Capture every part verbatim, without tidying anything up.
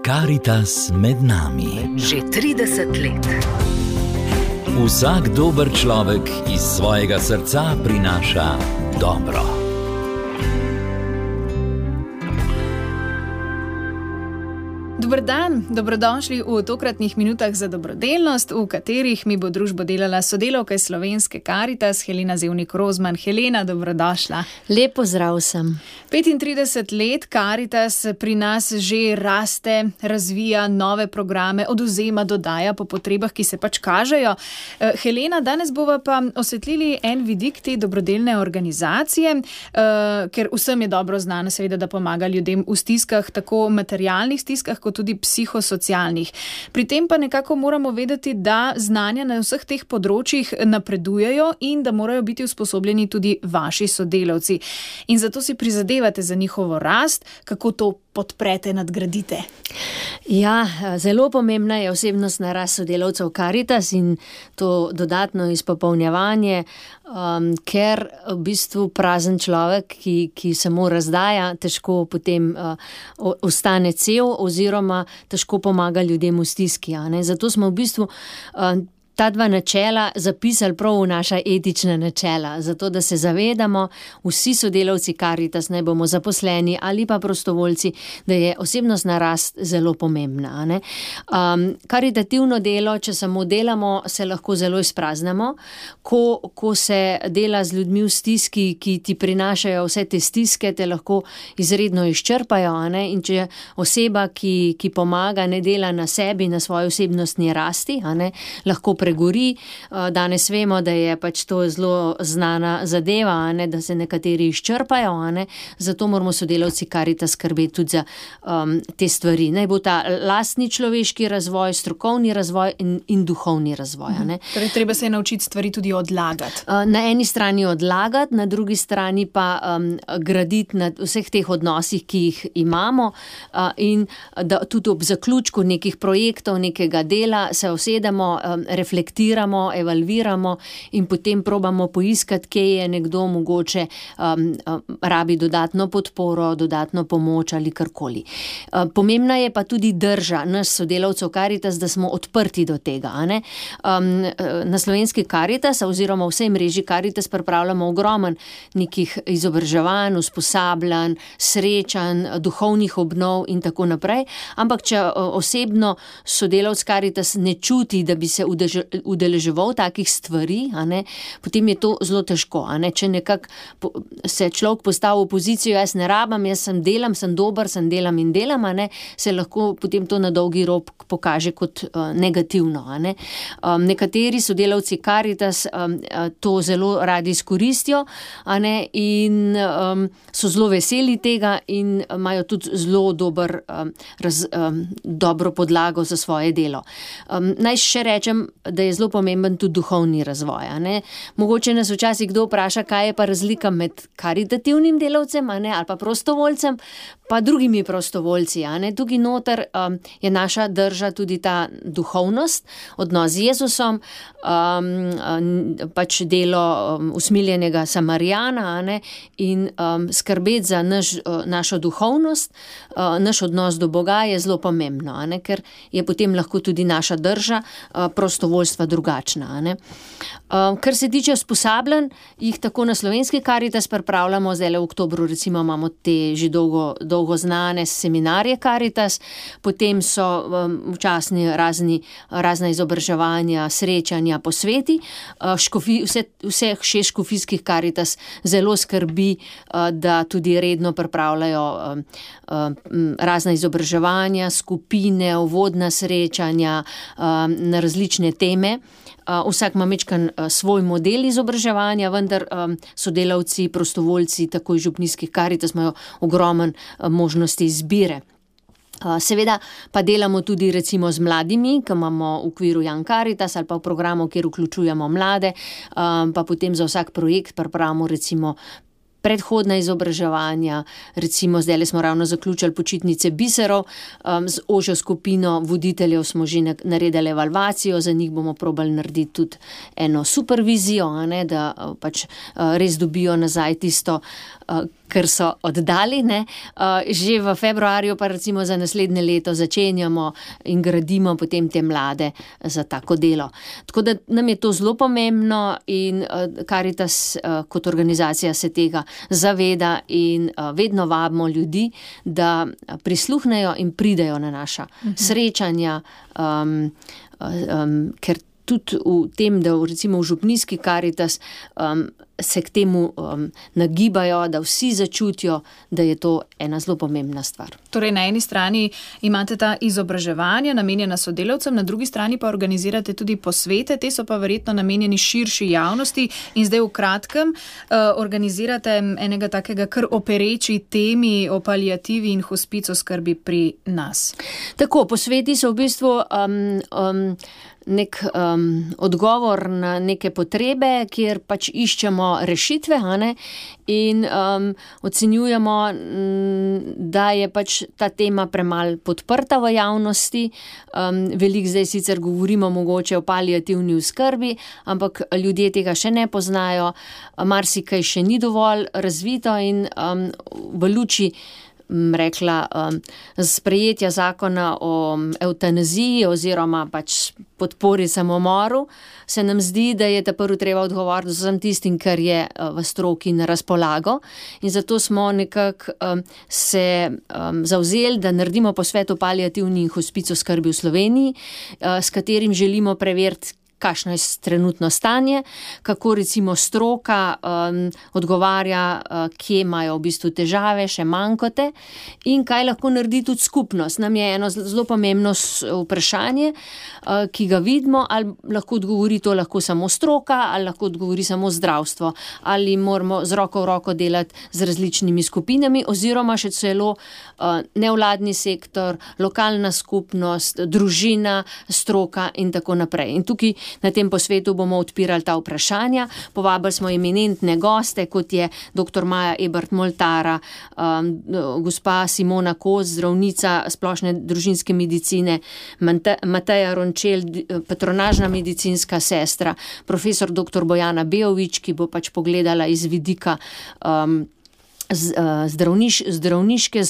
Karitas med nami. Že trideset let. Vsak dober človek iz svojega srca prinaša dobro. Dober dan, dobrodošli v tokratnih minutah za dobrodelnost, v katerih mi bo družbo delala sodelavka iz Slovenske Karitas, Helena Zevnik Rozman. Helena, dobrodošla. Lep pozdrav sem. petintrideset let Karitas pri nas že raste, razvija nove programe, odvzema, dodaja po potrebah, ki se pač kažejo. Helena, danes bova pa osvetlili en vidik te dobrodelne organizacije, ker vsem je dobro znano seveda, da pomaga ljudem v stiskah, tako materialnih stiskah, kot tudi psihosocialnih. Pri tem pa nekako moramo vedeti, da znanja na vseh teh področjih napredujejo in da morajo biti usposobljeni tudi vaši sodelavci. In zato si prizadevate za njihovo rast, kako to podprete, nadgradite. Ja, zelo pomembna je osebnostna rast sodelavcev Karitas in to dodatno izpopolnjevanje, um, ker v bistvu prazen človek, ki, ki samo razdaja, težko potem uh, ostane cel oziroma težko pomaga ljudem v stiski. A ne? Zato smo v bistvu uh, ta dva načela zapisali prav v naša etična načela, zato da se zavedamo vsi sodelavci Karitas, naj bomo zaposleni ali pa prostovoljci, da je osebnostna rast zelo pomembna. Ne? Um, karitativno delo, če samo delamo, se lahko zelo izpraznemo. Ko, ko se dela z ljudmi v stiski, ki ti prinašajo vse te stiske, te lahko izredno izčrpajo. Ne? In če oseba, ki, ki pomaga, ne dela na sebi, na svoji osebnostni rasti, ne? Lahko pregori. Danes vemo, da je pač to zelo znana zadeva, ne, da se nekateri izčrpajo, ne, zato moramo sodelavci Karitas skrbeti tudi za um, te stvari. Naj bo ta lastni človeški razvoj, strokovni razvoj in, in duhovni razvoj. Ne. Torej, treba se je naučiti stvari tudi odlagati. Na eni strani odlagati, na drugi strani pa um, graditi na vseh teh odnosih, ki jih imamo, uh, in da tudi ob zaključku nekih projektov, nekega dela se usedemo, um, reflektiramo, evalviramo in potem probamo poiskati, kje je nekdo mogoče um, um, rabi dodatno podporo, dodatno pomoč ali karkoli. Um, pomembna je pa tudi drža nas sodelavcev Karitas, da smo odprti do tega. Ne? Um, na Slovenski Karitas oziroma vsej mreži Karitas pripravljamo ogromen nekih izobraževanj, usposabljanj, srečanj, duhovnih obnov in tako naprej. Ampak če osebno sodelavc Karitas ne čuti, da bi se udeleževal takih stvari, a ne, potem je to zelo težko. A ne, če nekako se človek postavi v pozicijo, jaz ne rabam, jaz sem delam, sem dober, sem delam in delam, a ne, se lahko potem to na dolgi rok pokaže kot uh, negativno. A ne. Um, nekateri sodelavci Karitas um, to zelo radi izkoristijo, a ne, in um, so zelo veseli tega in imajo tudi zelo dober, um, raz, um, dobro podlago za svoje delo. Um, naj še rečem, da je zelo pomemben tudi duhovni razvoj. A ne? Mogoče nas včasih kdo vpraša, kaj je pa razlika med karitativnim delavcem, a ne, ali pa prostovoljcem, pa drugimi prostovoljci. A ne? Tukaj noter um, je naša drža tudi ta duhovnost, odnos z Jezusom, um, um, pač delo um, usmiljenega Samarijana, a ne, in um, skrbeti za naš, uh, našo duhovnost, uh, naš odnos do Boga je zelo pomembno, a ne, ker je potem lahko tudi naša drža uh, prostovoljstva drugačna. A ne. Uh, kar se tiče usposabljanj, jih tako na Slovenski Karitas pripravljamo, zdaj v oktobru recimo imamo te že dolgo, dolgo znane seminarje Karitas, potem so um, včasni razni, razna izobraževanja, srečanja, posveti. Uh, škofi, vse, vseh šest škofijskih Karitas zelo skrbi, uh, da tudi redno pripravljajo um, um, razna izobraževanja, skupine, uvodna srečanja um, na različne teme. Uh, vsak ima mečkan uh, svoj model izobraževanja, vendar um, sodelavci, prostovoljci, tako iz župnijskih Karitas imajo ogromen uh, možnosti izbire. Uh, seveda pa delamo tudi recimo z mladimi, ki imamo v okviru Young Karitas ali pa v programu, kjer vključujemo mlade, um, pa potem za vsak projekt pripravimo recimo predhodna izobraževanja, recimo zdaj smo ravno zaključili počitnice biserov, um, z ožjo skupino voditeljev smo že naredili evalvacijo, za njih bomo probali narediti tudi eno supervizijo, a ne, da pač uh, res dobijo nazaj tisto, uh, ker so oddaljene. Že v februarju pa recimo za naslednje leto začenjamo in gradimo potem te mlade za tako delo. Tako da nam je to zelo pomembno in Karitas kot organizacija se tega zaveda in vedno vabimo ljudi, da prisluhnejo in pridejo na naša uh-huh. srečanja, um, um, ker tudi v tem, da recimo v župnijski Karitas um, se k temu um, nagibajo, da vsi začutijo, da je to ena zelo pomembna stvar. Torej, na eni strani imate ta izobraževanja namenjena sodelavcem, na drugi strani pa organizirate tudi posvete, te so pa verjetno namenjeni širši javnosti in zdaj v kratkem uh, organizirate enega takega kar opereči temi o paliativi in hospico skrbi pri nas. Tako, posveti so v bistvu um, um, nek um, odgovor na neke potrebe, kjer pač iščemo rešitve, ne? In um, ocenjujemo, m, da je pač ta tema premalj podprta v javnosti. Um, veliko zdaj sicer govorimo mogoče o paliativni oskrbi, ampak ljudje tega še ne poznajo, marsikaj še ni dovolj razvito in um, v luči rekla, um, sprejetja zakona o evtanaziji oziroma pač podpori samomoru, se nam zdi, da je ta prvo treba odgovoriti vsem tistim, kar je v stroki na razpolago. In zato smo nekako um, se um, zavzeli, da naredimo posvet o paliativni in hospico skrbi v Sloveniji, uh, s katerim želimo preveriti, kakšno je trenutno stanje, kako recimo stroka um, odgovarja, uh, kje imajo v bistvu težave, še manjkote in kaj lahko naredi tudi skupnost. Nam je eno zelo pomembno vprašanje, uh, ki ga vidimo, ali lahko odgovori to lahko samo stroka, ali lahko odgovori samo zdravstvo, ali moramo z roko v roko delati z različnimi skupinami, oziroma še celo uh, nevladni sektor, lokalna skupnost, družina, stroka in tako naprej. In tukaj na tem posvetu bomo odpirali ta vprašanja. Povabili smo eminentne goste, kot je doktor Maja Ebert-Moltara, um, gospa Simona Kos, zdravnica splošne družinske medicine, Mateja Rončel, patronažna medicinska sestra, profesor doktor Bojana Beovič, ki bo pač pogledala iz vidika um, Zdravniš, zdravniške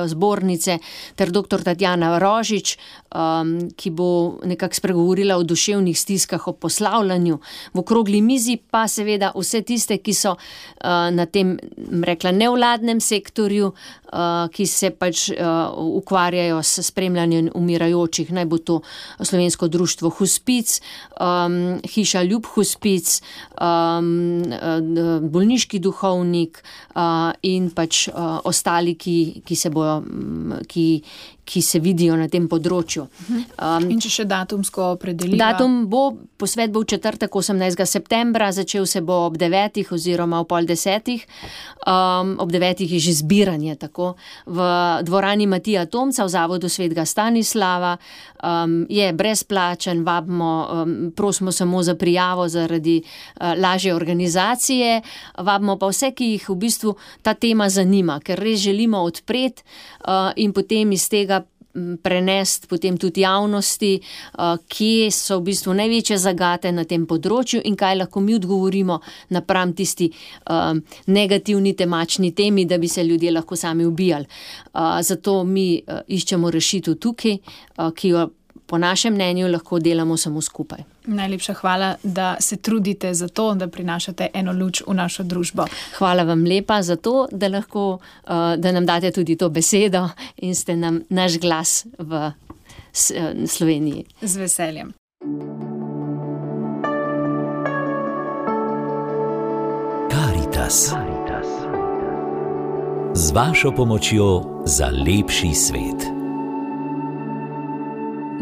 zbornice, ter doktor Tatjana Rožič, um, ki bo nekako spregovorila o duševnih stiskah, o poslavljanju. V okrogli mizi pa seveda vse tiste, ki so uh, na tem, rekla, nevladnem sektorju, uh, ki se pač uh, ukvarjajo s spremljanjem umirajočih, naj bo to Slovensko društvo Hospic, um, Hiša Ljub Hospic, um, bolniški duhovnik, uh, in pač uh, ostali, ki, ki se bojo, ki, ki se vidijo na tem področju. Um, in če še datumsko opredeliva? Datum bo, posvet bo v četrtek osemnajstega septembra, začel se bo ob devetih oziroma ob pol desetih. Um, ob devetih je že zbiranje, tako. V dvorani Matija Tomca v Zavodu Svetega Stanislava um, je brezplačen, vabimo, um, prosimo samo za prijavo zaradi uh, lažje organizacije, vabimo pa vse, ki jih v bistvu ta tema zanima, ker res želimo odpreti uh, in potem iz tega prenesti potem tudi javnosti, kje so v bistvu največje zagate na tem področju in kaj lahko mi odgovorimo napram tisti negativni temačni temi, da bi se ljudje lahko sami ubijali. Zato mi iščemo rešitev tukaj, ki jo po našem mnenju lahko delamo samo skupaj. Najlepša hvala, da se trudite za to, da prinašate eno luč v našo družbo. Hvala vam lepa za to, da lahko, da nam date tudi to besedo in ste nam naš glas v Sloveniji. Z veseljem. Karitas. Z vašo pomočjo za lepši svet.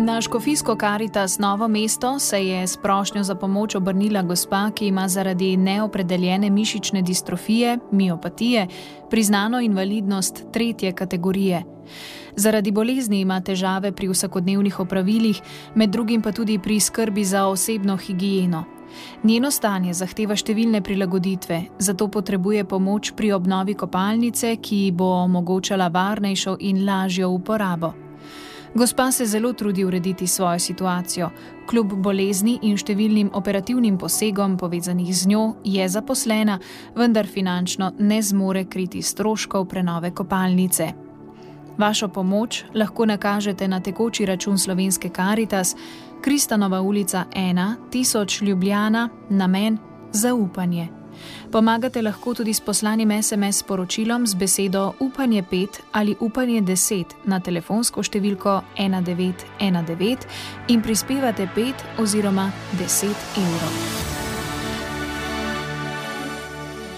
Na škofijsko Karitas Novo mesto se je s prošnjo za pomoč obrnila gospa, ki ima zaradi neopredeljene mišične distrofije, miopatije, priznano invalidnost tretje kategorije. Zaradi bolezni ima težave pri vsakodnevnih opravilih, med drugim pa tudi pri skrbi za osebno higieno. Njeno stanje zahteva številne prilagoditve, zato potrebuje pomoč pri obnovi kopalnice, ki bo omogočala varnejšo in lažjo uporabo. Gospa se zelo trudi urediti svojo situacijo. Kljub bolezni in številnim operativnim posegom povezanih z njo je zaposlena, vendar finančno ne zmore kriti stroškov prenove kopalnice. Vašo pomoč lahko nakažete na tekoči račun Slovenske Karitas, Kristanova ulica ena, tisoč Ljubljana, namen zaupanje. Pomagate lahko tudi s poslanim es em es sporočilom z besedo upanje pet ali upanje deset na telefonsko številko ena devet ena devet in prispevate pet oziroma deset evrov.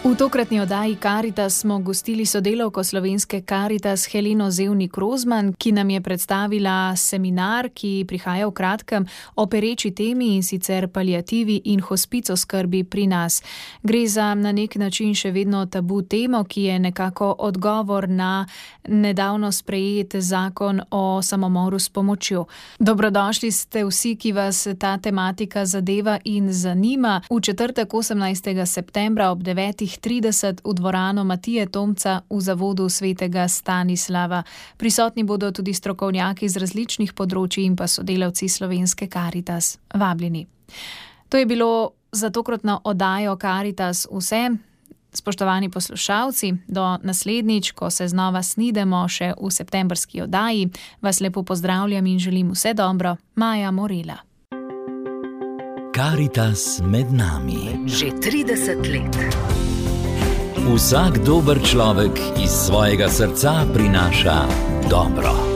V tokratni oddaji Karitas smo gostili sodelavko Slovenske Karitas Heleno Zevnik Rozman, ki nam je predstavila seminar, ki prihaja v kratkem o pereči temi, in sicer paliativi in hospic oskrbi pri nas. Gre za na nek način še vedno tabu temo, ki je nekako odgovor na nedavno sprejet zakon o samomoru s pomočjo. Dobrodošli ste vsi, ki vas ta tematika zadeva in zanima. V četrtek osemnajstega septembra ob devetih trideset v dvorano Matije Tomca v zavodu svetega Stanislava. Prisotni bodo tudi strokovnjaki z različnih področij in pa sodelavci Slovenske Karitas. Vabljeni. To je bilo za tokratno oddajo Karitas vse. Spoštovani poslušalci, do naslednjič, ko se znova snidemo še v septembrski oddaji, vas lepo pozdravljam in želim vse dobro. Maja Morela. Karitas med nami. Že trideset let. Vsak dober človek iz svojega srca prinaša dobro.